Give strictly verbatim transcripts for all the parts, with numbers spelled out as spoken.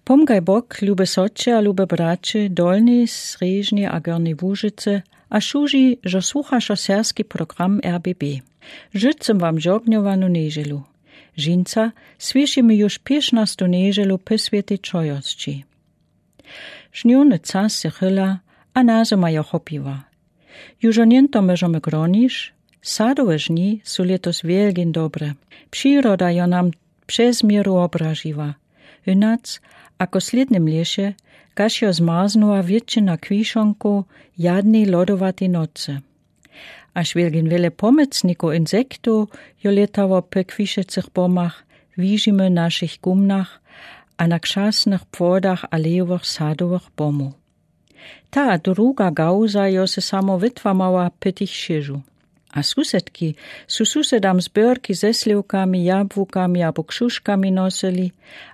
Pomgaj Bóg, lube sotře a lube bratře, Dolnej, Strzéžnej a Górnej Łužicy, a służi, zo słuchasz serbski program R B B. Życzã wam żognowanu njedźelu. Dźensa słyszymy ju piesznastą njedźelu pò swiãti czojosci. Żniwny czas se chyla, a nazëma jo chopiła. Ju niento mòżemë gronić, sadowe dni su letos wielgim dobrë. Prziroda jo nam przez mieru òbraziła. Inac, ako w slědnym lěse, kaž jo zmarznãła wětšina kwiszonkow jadny lodowati nocë. Jaż wielgim wele pòmocnikow insektow jo lětało pò kwišecëch bomach, widźimë w našich gumnach a na krzasnëch płodach alejowych sadowych bomow. Ta a druga gałza jo se samo wëtłamała pò tëch chëżow. A susedki su susedam zbiérki ze sliwkami, jabłukami abo krzuszkami nosyli,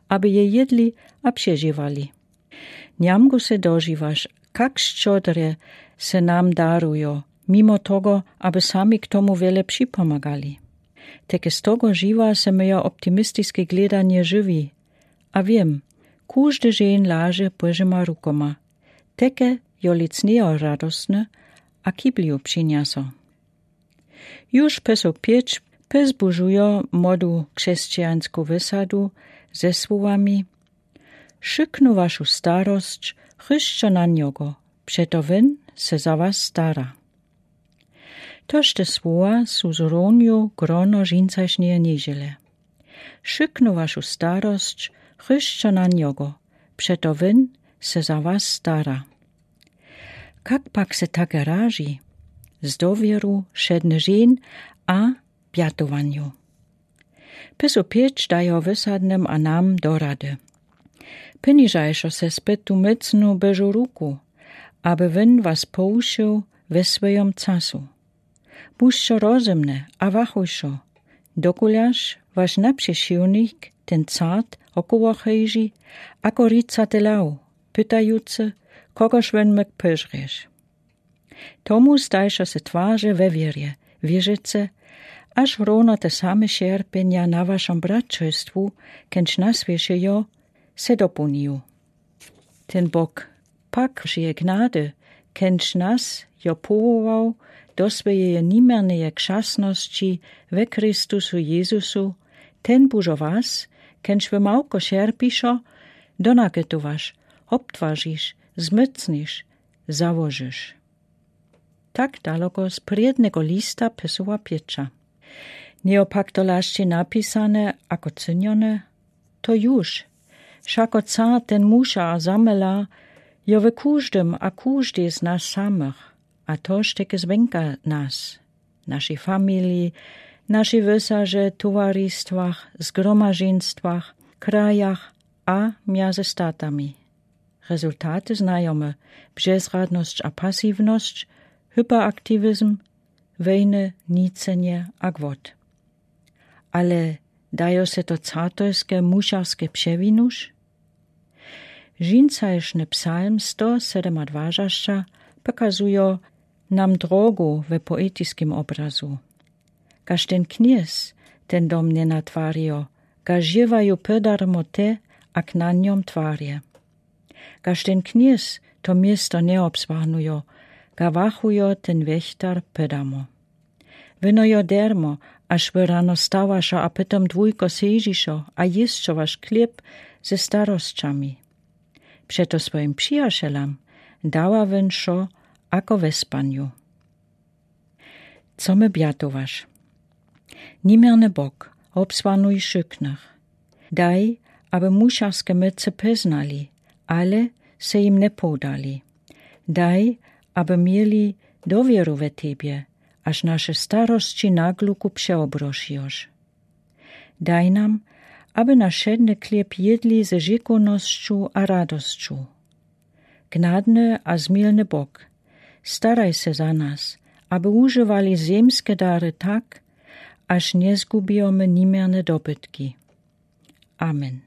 aby je jedli a přežiwali. Niamkù se dožiwaš, kak szczodrze se nam darujo, mimo tego, aby sami k tomu wele připòmagali. Teke z tego žiwa se mie optimistiske gledanje žiwi. A wiém, kòżdi dźeń laže Bòžima rukoma. Teke jo lec njejo radosny a ki bliju přinjaso. Juž pò so pěć pòzbudźujo młodu křesćijańsku wësadu ze słowami: „Wszëtkną waszą starosć chrzćo na niegò, przeto wón se za was stara.” Toż te słowa su zrównił grono dźensajszneje njedźele. „Wszëtkną waszą starosć chrzćo na niegò, przeto wón se za was stara.” Kak pak se take rażi? Z dowěru, wszedny dźeń a bjatowanju. Pò so pěć dajo wësadnym a nam do rady: „Poniżajšo se spod tu mòcną Bòżą ruku, aby wón was pòwušył we swòjim czasu. Bądzcie rozëmné a wachujšo, dokulaż wasz naprzeciwnik, ten cart, òkoło chòdzy, ako ricati lew, pytający, kogoż wón mòg pòżreć.” Tomu zdajszo se twarze we wierze, wierzyce, jaż równo te same cierpienia na waszim bratrzestwù, kądź na swieże jo, se dopълnił. Ten Bóg pak wši gnady, kądź nas jo pòwołał do swòjeje nijmierneje krzasnosci we Chrystusu Jezusu, ten bądź ò was, kądź wy małkò cierpiszo, donaketowasz, òbtwarzisz, zmòcnisz, założysz. Tak daleko z prědnego lista pisoła Pietra. Njejo pak to lašćej napisane ako cynioné? To juž. Wšako cart ten mùša a zamela jo we kòżdym a kòżdej z nas samëch, a toż teke zwonka nas, našej familii, našej wësaže, towaristwach, zgromadźenstwach, krajach a mdze statami. Rezultaty znajomë: bezradnosć a pasiwnosć, hyperaktiwizm, wòjny, nicenje a gwôłt. Ale dajo se to cartojske, mùšarske przewinuć? Dźensajszny psalm sto sedemadwasaćdźesat pokazujo nam drogu we poetiskim òbrazu. Kaž ten kněz ten dom njenatwarijo, ga žiwaju pòdarmo te, ak na niom twarje. Kaž ten kněz to město njeòbsłahnujo, ga wachujo ten wěchtar pòdarmo. Wino jo dermo, jaż wy rano stawaša a pòtom długò sedźišo a jěsćowaš chleb ze starosćami. Přeto swòjim přijacielam dawa wón wšo, ako we spanju. Co më bjatowaš? Nijmierny Bóg, òbsłahnuj wšitknëch. Daj, aby mùšarske mòce pòznali, ale se jim njepoddali. Daj, aby mieli dowěru we tebje, jaż naše starosći na glukù přeòbrošijoš. Daj nam, aby nasz wšedny chleb jedli ze dźekownosću a radosću. Gnadny a zmiłny Bóg, staraj se za nas, aby ùżiwali zemske dary tak, jaż njezgubijomë nijmierne dobytki. Amen.